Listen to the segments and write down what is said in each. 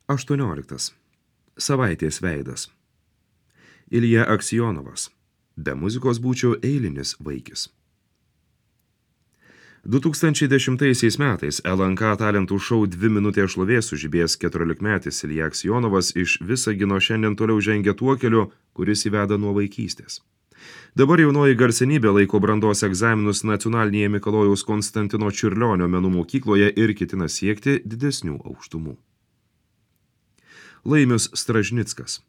18. Savaitės veidas. Ilja Aksijonovas. Be muzikos būčiau eilinis vaikis. 2010 metais LNK talentų šou 2 minutės šlovės sužibėjęs 14-metis Ilja Aksijonovas iš Visagino šiandien toliau žengia tuo keliu, kuris įveda nuo vaikystės. Dabar jaunoji garsenybė laiko brandos egzaminus nacionalinėje Mikalojaus Konstantino Čiurlionio menų mokykloje ir ketina siekti didesnių aukštumų. Laimius Stražnickas.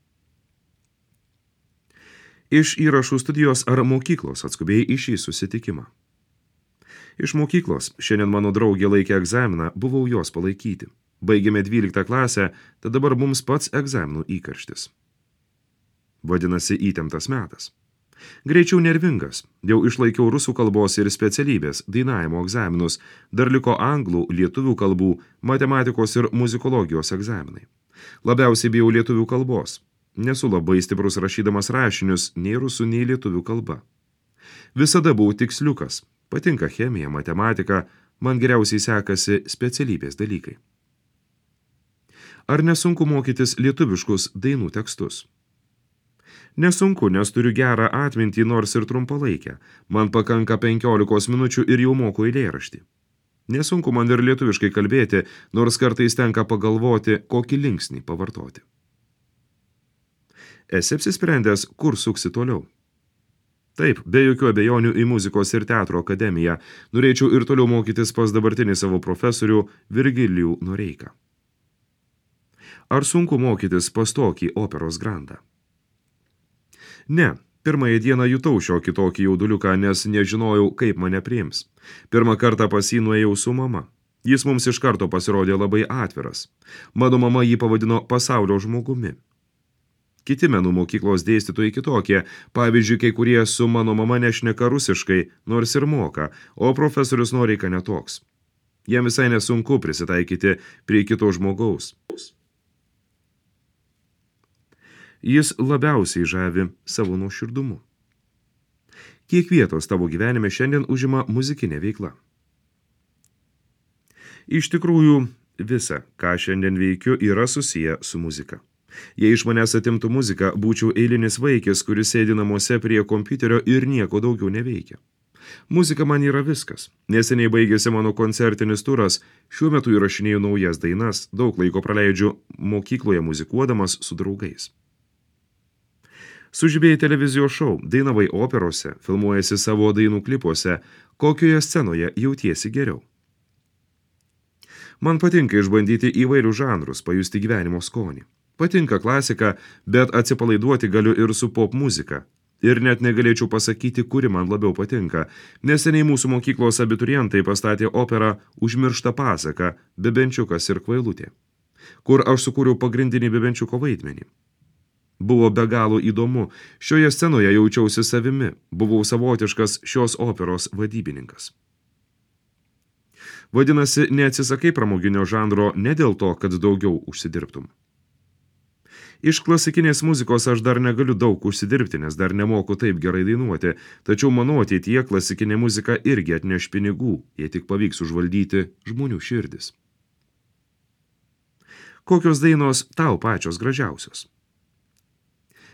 Iš įrašų studijos ar mokyklos atskubėjai į šį susitikimą. Iš mokyklos, šiandien mano draugė laikė egzaminą, buvau jos palaikyti. Baigėme 12 klasę, tad dabar mums pats egzaminų įkarštis. Vadinasi, įtemptas metas. Greičiau nervingas, jau išlaikiau rusų kalbos ir specialybės, dainavimo egzaminus, dar liko anglų, lietuvių kalbų, matematikos ir muzikologijos egzaminai. Labiausiai bijau lietuvių kalbos. Nesu labai stiprus rašydamas rašinius, nei rusų, nei lietuvių kalba. Visada buvau tiksliukas, patinka chemija, matematika, man geriausiai sekasi specialybės dalykai. Ar nesunku mokytis lietuviškus dainų tekstus? Nesunku, nes turiu gerą atmintį, nors ir trumpalaikę. Man pakanka 15 minučių ir jau moku eilėraštį. Nesunku man ir lietuviškai kalbėti, nors kartais tenka pagalvoti, kokį linksnį pavartoti. Esi apsisprendęs, kur suksi toliau? Taip, be jokių abejonių į muzikos ir teatro akademiją. Norėčiau ir toliau mokytis pas dabartinį savo profesorių Virgilijų Noreiką. Ar sunku mokytis pas tokį operos grandą? Ne, pirmąją dieną jutau šiokį tokį jauduliuką, nes nežinojau, kaip mane priims. Pirmą kartą pas jį nuėjau su mama. Jis mums iš karto pasirodė labai atviras. Mano mama jį pavadino pasaulio žmogumi. Kiti menų mokyklos dėstytojai kitokie, pavyzdžiui, kai kurie su mano mama nešneka rusiškai, nors ir moka, o profesorius Noreika netoks. Jam visai nesunku prisitaikyti prie kito žmogaus. Jis labiausiai žavi savo nuoširdumu. Kiek vietos tavo gyvenime šiandien užima muzikinė veikla? Iš tikrųjų, visa, ką šiandien veikiu, yra susiję su muzika. Jei iš manęs atimtų muziką, būčiau eilinis vaikis, kuris sėdi namuose prie kompiuterio ir nieko daugiau neveikia. Muzika man yra viskas. Neseniai baigėsi mano koncertinis turas, šiuo metu įrašinėju naujas dainas, daug laiko praleidžiu mokykloje muzikuodamas su draugais. Sužibėjai televizijos šou, dainavai operose, filmuojasi savo dainų klipuose, kokioje scenoje jautiesi geriau. Man patinka išbandyti įvairių žanrus, pajusti gyvenimo skonį. Patinka klasika, bet atsipalaiduoti galiu ir su pop muzika. Ir net negalėčiau pasakyti, kuri man labiau patinka. Neseniai mūsų mokyklos abiturientai pastatė operą Užmiršta pasaka, Bebenčiukas ir kvailutė, kur aš sukūriau pagrindinį Bebenčiuko vaidmenį. Buvo be galo įdomu, šioje scenoje jaučiausi savimi, buvau savotiškas šios operos vadybininkas. Vadinasi, neatsisakai pramoginio žanro ne dėl to, kad daugiau užsidirbtum. Iš klasikinės muzikos aš dar negaliu daug užsidirbti, nes dar nemoku taip gerai dainuoti, tačiau manau ateityje klasikinė muzika irgi atneš pinigų, jei tik pavyks užvaldyti žmonių širdis. Kokios dainos tau pačios gražiausios?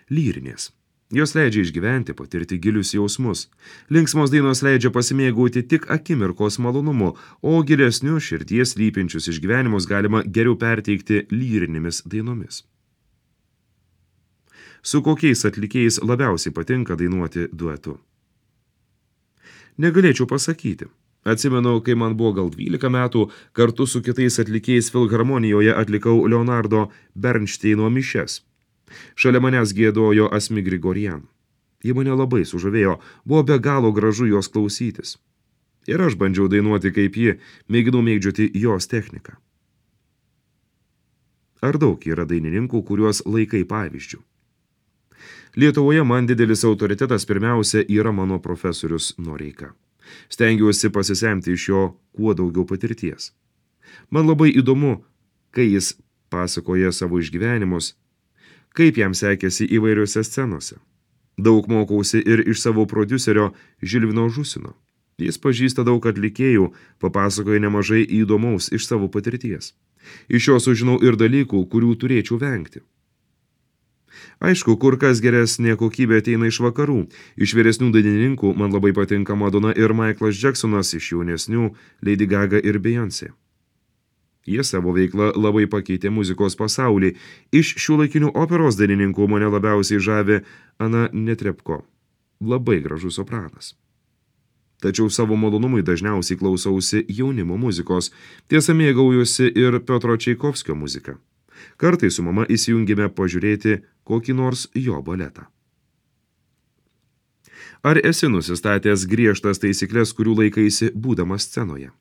Lyrinės. Jos leidžia išgyventi, patirti gilius jausmus. Linksmos dainos leidžia pasimėgauti tik akimirkos malonumu, o gilesnius širdies slypinčius išgyvenimus galima geriau perteikti lyrinėmis dainomis. Su kokiais atlikėjais labiausiai patinka dainuoti duetu? Negalėčiau pasakyti. Atsimenu, kai man buvo gal 12 metų, kartu su kitais atlikėjais Filharmonijoje atlikau Leonardo Bernšteino mišias. Šalia manęs giedojo Asmi Grigorian. Ji mane labai sužavėjo, buvo be galo gražu jos klausytis. Ir aš bandžiau dainuoti kaip ji, mėginau mėgdžioti jos techniką. Ar daug yra dainininkų, kuriuos laikai pavyzdžių? Lietuvoje man didelis autoritetas pirmiausia yra mano profesorius Noreika. Stengiuosi pasisemti iš jo kuo daugiau patirties. Man labai įdomu, kai jis pasakoja savo išgyvenimus, kaip jam sekėsi įvairiose scenose. Daug mokausi ir iš savo prodiuserio Žilvino Žusino. Jis pažįsta daug atlikėjų, papasakoja nemažai įdomaus iš savo patirties. Iš jo sužinau ir dalykų, kurių turėčiau vengti. Aišku, kur kas geresnė kokybė ateina iš vakarų. Iš vyresnių dainininkų man labai patinka Madonna ir Michaelas Jacksonas, iš jaunesnių Lady Gaga ir Beyoncé. Jie savo veiklą labai pakeitė muzikos pasaulį. Iš šiuolaikinių operos dainininkų mane labiausiai žavi Ana Netrebko. Labai gražus sopranas. Tačiau savo malonumui dažniausiai klausausi jaunimo muzikos. Tiesa, mėgaujuosi ir Piotro Čaikovskio muziką. Kartais su mama įsijungėme pažiūrėti kokį nors jo baletą. Ar esi nusistatęs griežtas taisyklės, kurių laikaisi būdamas scenoje?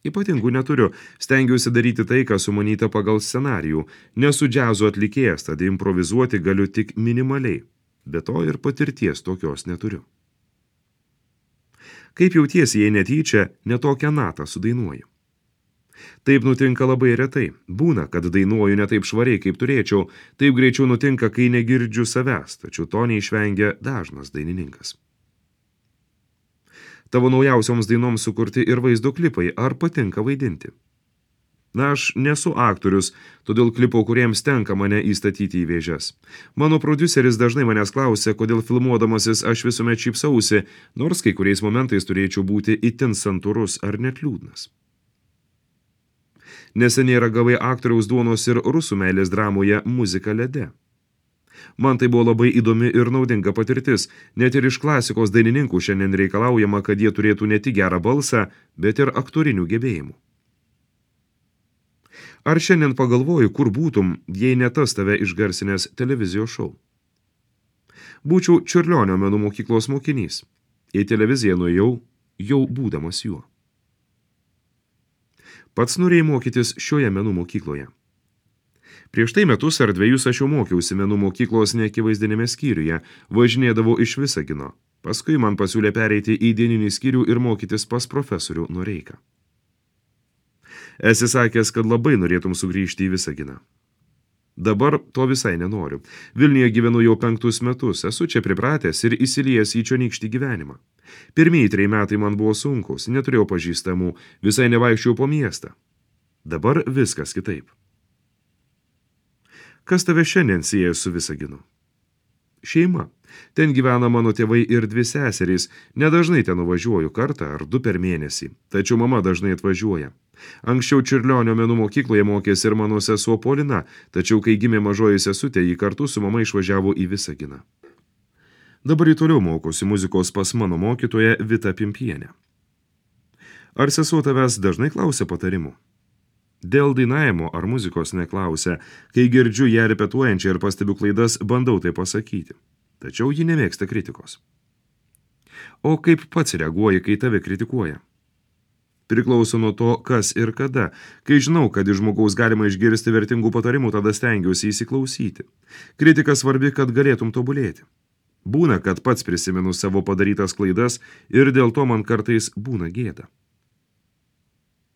Ypatingų neturiu, stengiuosi daryti tai, kas sumanyta pagal scenarijų. Nesu džiazo atlikėjas, tad improvizuoti galiu tik minimaliai. Be to ir patirties tokios neturiu. Kaip jautiesi, jei netyčia, netokią natą sudainuoju? Taip nutinka labai retai. Būna, kad dainuoju ne taip švariai, kaip turėčiau. Taip greičiau nutinka, kai negirdžiu savęs, tačiau to neišvengia dažnas dainininkas. Tavo naujausioms dainoms sukurti ir vaizdo klipai, ar patinka vaidinti? Na, aš nesu aktorius, todėl klipo kuriems tenka mane įstatyti į vėžes. Mano prodiuseris dažnai manęs klausia, kodėl filmuodamasis aš visuomet šypsausi, nors kai kuriais momentais turėčiau būti itin santūrus ar net liūdnas. Neseniai ragavai aktoriaus duonos ir rusų meilės dramoje Muzika lede. Man tai buvo labai įdomi ir naudinga patirtis. Net ir iš klasikos dainininkų šiandien reikalaujama, kad jie turėtų ne tik gerą balsą, bet ir aktorinių gebėjimų. Ar šiandien pagalvoju, kur būtum, jei ne tas tave išgarsinęs televizijos šou? Būčiau Čiurlionio menų mokyklos mokinys. Į televiziją nuėjau, jau būdamas juo. Pats norėjai mokytis šioje menų mokykloje. Prieš tai metus ar 2 aš jau mokiausi menų mokyklos neakivaizdinėme skyriuje, važinėdavau iš Visagino. Paskui man pasiūlė pereiti į dieninį skyrių ir mokytis pas profesorių Noreiką. Esi sakęs, kad labai norėtum sugrįžti į Visaginą. Dabar to visai nenoriu. Vilniuje gyvenu jau 5 metus, esu čia pripratęs ir įsiliejęs į čionykštį gyvenimą. Pirmieji 3 metai man buvo sunkus, neturėjau pažįstamų, visai nevaikščiau po miestą. Dabar viskas kitaip. Kas tave šiandien sieja su Visaginu? Šeima. Ten gyvena mano tėvai ir 2 seserys. Nedažnai ten nuvažiuoju kartą ar 2 per mėnesį, tačiau mama dažnai atvažiuoja. Anksčiau Čiurlionio menų mokykloje mokėsi ir mano sesuo Polina, tačiau kai gimė mažoji sesutė, ji kartu su mama išvažiavo į Visaginą. Dabar į toliau mokosi muzikos pas mano mokytoją Vita Pimpienę. Ar sesuo tavęs dažnai klausia patarimų? Dėl dainavimo ar muzikos neklausia, kai girdžiu ją repetuojančią ir pastebiu klaidas, bandau tai pasakyti. Tačiau ji nemėgsta kritikos. O kaip pats reaguoji, kai tave kritikuoja? Priklauso nuo to, kas ir kada. Kai žinau, kad iš žmogaus galima išgirsti vertingų patarimų, tada stengiuosi įsiklausyti. Kritika svarbi, kad galėtum tobulėti. Būna, kad pats prisimenu savo padarytas klaidas ir dėl to man kartais būna gėda.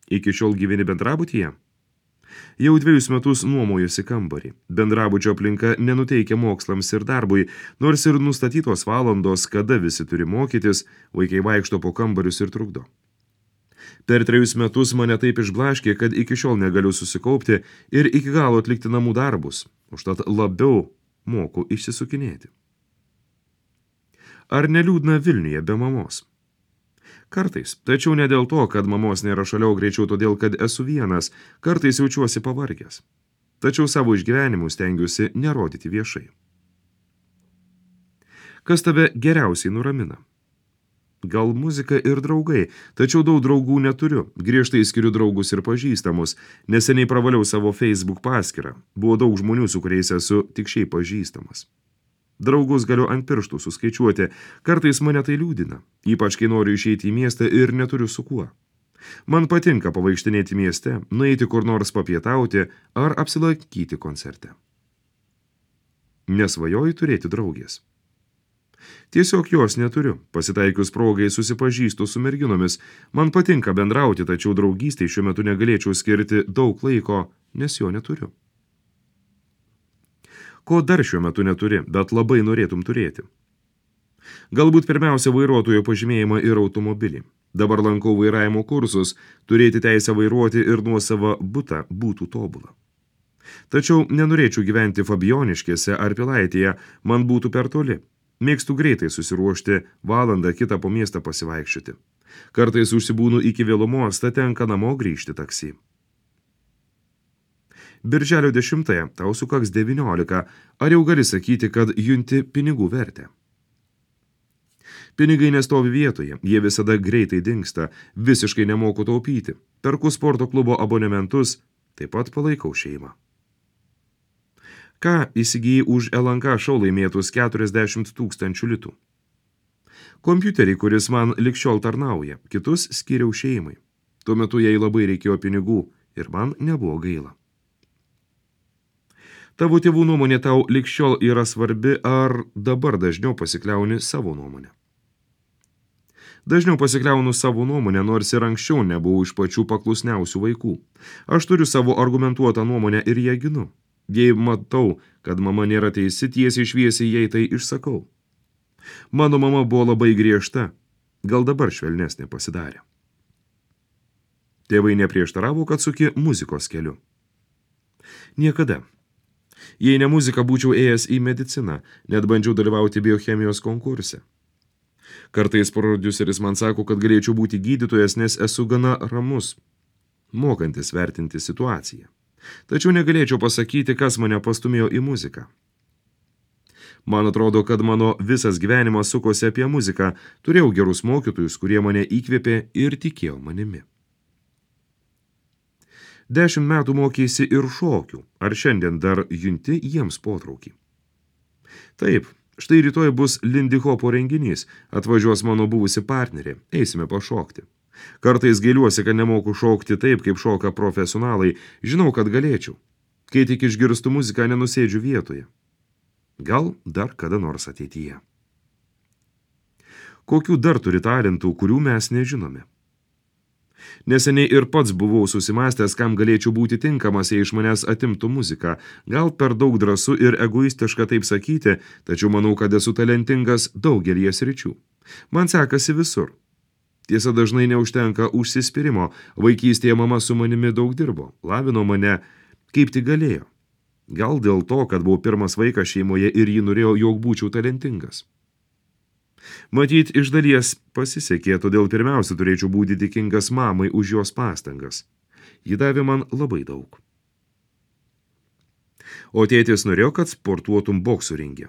Iki šiol gyveni bendrabutyje? Jau 2 metus nuomojusi kambarį. Bendrabučio aplinka nenuteikia mokslams ir darbui, nors ir nustatytos valandos, kada visi turi mokytis, vaikai vaikšto po kambarius ir trukdo. Per 3 metus mane taip išblaškė, kad iki šiol negaliu susikaupti ir iki galo atlikti namų darbus, užtat labiau moku išsisukinėti. Ar neliūdna Vilniuje be mamos? Kartais, tačiau ne dėl to, kad mamos nėra šalia, greičiau todėl, kad esu vienas, kartais jaučiuosi pavargęs. Tačiau savo išgyvenimų stengiuosi nerodyti viešai. Kas tave geriausiai nuramina? Gal muzika ir draugai, tačiau daug draugų neturiu, griežtai skiriu draugus ir pažįstamus, neseniai pravaliau savo Facebook paskyrą, buvo daug žmonių, su kuriais esu tik šiaip pažįstamas. Draugus galiu ant pirštų suskaičiuoti, kartais mane tai liūdina, ypač kai noriu išeiti į miestą ir neturiu su kuo. Man patinka pavaikštinėti mieste, nueiti kur nors papietauti ar apsilankyti koncerte. Nesvajoju turėti draugės. Tiesiog jos neturiu, pasitaikius progai susipažįstu su merginomis, man patinka bendrauti, tačiau draugystei šiuo metu negalėčiau skirti daug laiko, nes jo neturiu. Ko dar šiuo metu neturi, bet labai norėtum turėti? Galbūt pirmiausia vairuotojo pažymėjimą ir automobilį. Dabar lankau vairavimo kursus, turėti teisę vairuoti ir nuosavą butą būtų tobula. Tačiau nenorėčiau gyventi Fabijoniškėse ar Pilaitėje, man būtų per toli. Mėgstu greitai susiruošti, valandą kitą po miestą pasivaikščioti. Kartais užsibūnu iki vėlumos, tad tenka namo grįžti taksi. Birželio 10 tau sukaks 19, ar jau gali sakyti, kad junti pinigų vertę? Pinigai nestovi vietoje, jie visada greitai dingsta, visiškai nemoku taupyti. Perku sporto klubo abonementus, taip pat palaikau šeimą. Ką įsigijai už LNK šou laimėtus 40 000 litų? Kompiuterį, kuris man likščiol tarnauja, kitus skiriau šeimai. Tuo metu jai labai reikėjo pinigų ir man nebuvo gaila. Tavo tėvų nuomonė tau likščiol yra svarbi, ar dabar dažniau pasikliauni savo nuomonę? Dažniau pasikliaunu savo nuomonę, nors ir anksčiau nebuvau iš pačių paklusniausių vaikų. Aš turiu savo argumentuotą nuomonę ir ją ginu. Jei matau, kad mama nėra teisi, tiesiai šviesiai jai tai išsakau. Mano mama buvo labai griežta, gal dabar švelnesnė pasidarė. Tėvai neprieštaravo, kad suki muzikos keliu. Niekada. Jei ne muzika, būčiau ėjęs į mediciną, net bandžiau dalyvauti biochemijos konkurse. Kartais prodiuseris man sako, kad galėčiau būti gydytojas, nes esu gana ramus, mokantis vertinti situaciją. Tačiau negalėčiau pasakyti, kas mane pastumėjo į muziką. Man atrodo, kad mano visas gyvenimas sukosi apie muziką, turėjau gerus mokytojus, kurie mane įkvėpė ir tikėjo manimi. 10 metų mokėsi ir šokių, ar šiandien dar junti jiems potraukį? Taip, štai rytoj bus Lindy Hopo renginys, atvažiuos mano buvusi partnerė, eisime pašokti. Kartais gailiuosi, kad nemoku šokti taip, kaip šoka profesionalai, žinau, kad galėčiau. Kai tik išgirstu muziką, nenusėdžiu vietoje. Gal dar kada nors ateityje. Kokių dar turi talentų, kurių mes nežinome? Neseniai ir pats buvau susimastęs, kam galėčiau būti tinkamas, jei iš manęs atimtų muziką. Gal per daug drąsu ir egoistiška taip sakyti, tačiau manau, kad esu talentingas daugelį sričių. Man sekasi visur. Tiesa, dažnai neužtenka užsispyrimo. Vaikystėje mama su manimi daug dirbo, lavino mane, kaip tik galėjo. Gal dėl to, kad buvau pirmas vaikas šeimoje ir ji norėjo, jog būčiau talentingas. Matyt, iš dalies pasisekė, todėl pirmiausia turėčiau būti dėkingas mamai už jos pastangas. Ji davė man labai daug. O tėtis norėjo, kad sportuotum boksų ringe.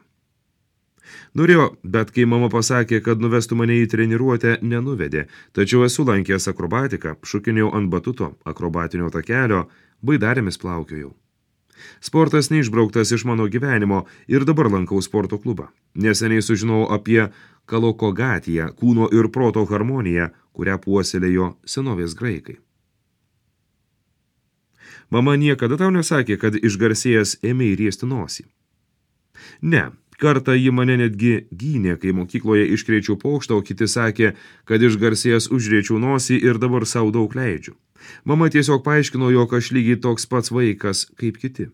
Norėjo, bet kai mama pasakė, kad nuvestų mane į treniruotę, nenuvedė, tačiau esu lankęs akrobatiką, šokinėjau ant batuto, akrobatinio takelio, baidarėmis plaukiojau. Sportas neišbrauktas iš mano gyvenimo ir dabar lankau sporto klubą. Neseniai sužinojau apie kalokogatiją, kūno ir proto harmoniją, kurią puoselėjo senovės graikai. Mama niekada tau nesakė, kad išgarsėjęs ėmei riesti nosį. Ne, kartą ji mane netgi gynė, kai mokykloje iškrėčiau pokštą, o kiti sakė, kad išgarsėjęs užrėčiau nosį ir dabar sau daug leidžiu. Mama tiesiog paaiškino, jog aš lygiai toks pats vaikas kaip kiti.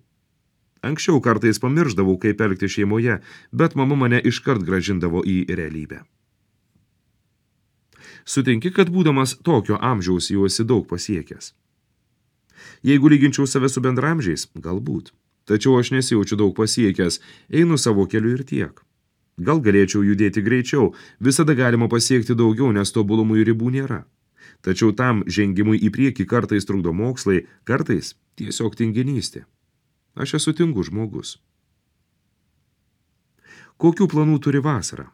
Anksčiau kartais pamirždavau, kaip elgti šeimoje, bet mama mane iškart grąžindavo į realybę. Sutinki, kad būdamas tokio amžiaus jau esi daug pasiekęs. Jeigu lyginčiau save su bendramžiais, galbūt. Tačiau aš nesijaučiu daug pasiekęs, einu savo keliu ir tiek. Gal galėčiau judėti greičiau, visada galima pasiekti daugiau, nes tobulumui ribų nėra. Tačiau tam žengimui į priekį kartais trukdo mokslai, kartais tiesiog tinginystė. Aš esu tingus žmogus. Kokių planų turi vasarą?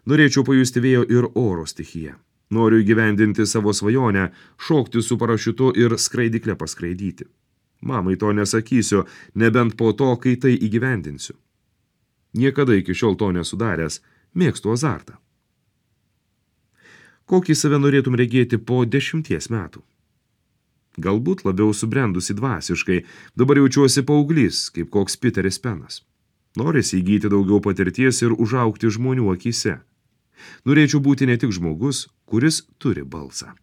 Norėčiau pajusti vėjo ir oro stichiją. Noriu įgyvendinti savo svajonę, šokti su parašiutu ir skraidykle paskraidyti. Mamai to nesakysiu, nebent po to, kai tai įgyvendinsiu. Niekada iki šiol to nesudaręs, mėgstu azartą. Kokį save norėtum regėti po 10 metų? Galbūt labiau subrendusi dvasiškai, dabar jaučiuosi paauglys, kaip koks Piteris Penas. Norisi įgyti daugiau patirties ir užaugti žmonių akyse. Norėčiau būti ne tik žmogus, kuris turi balsą.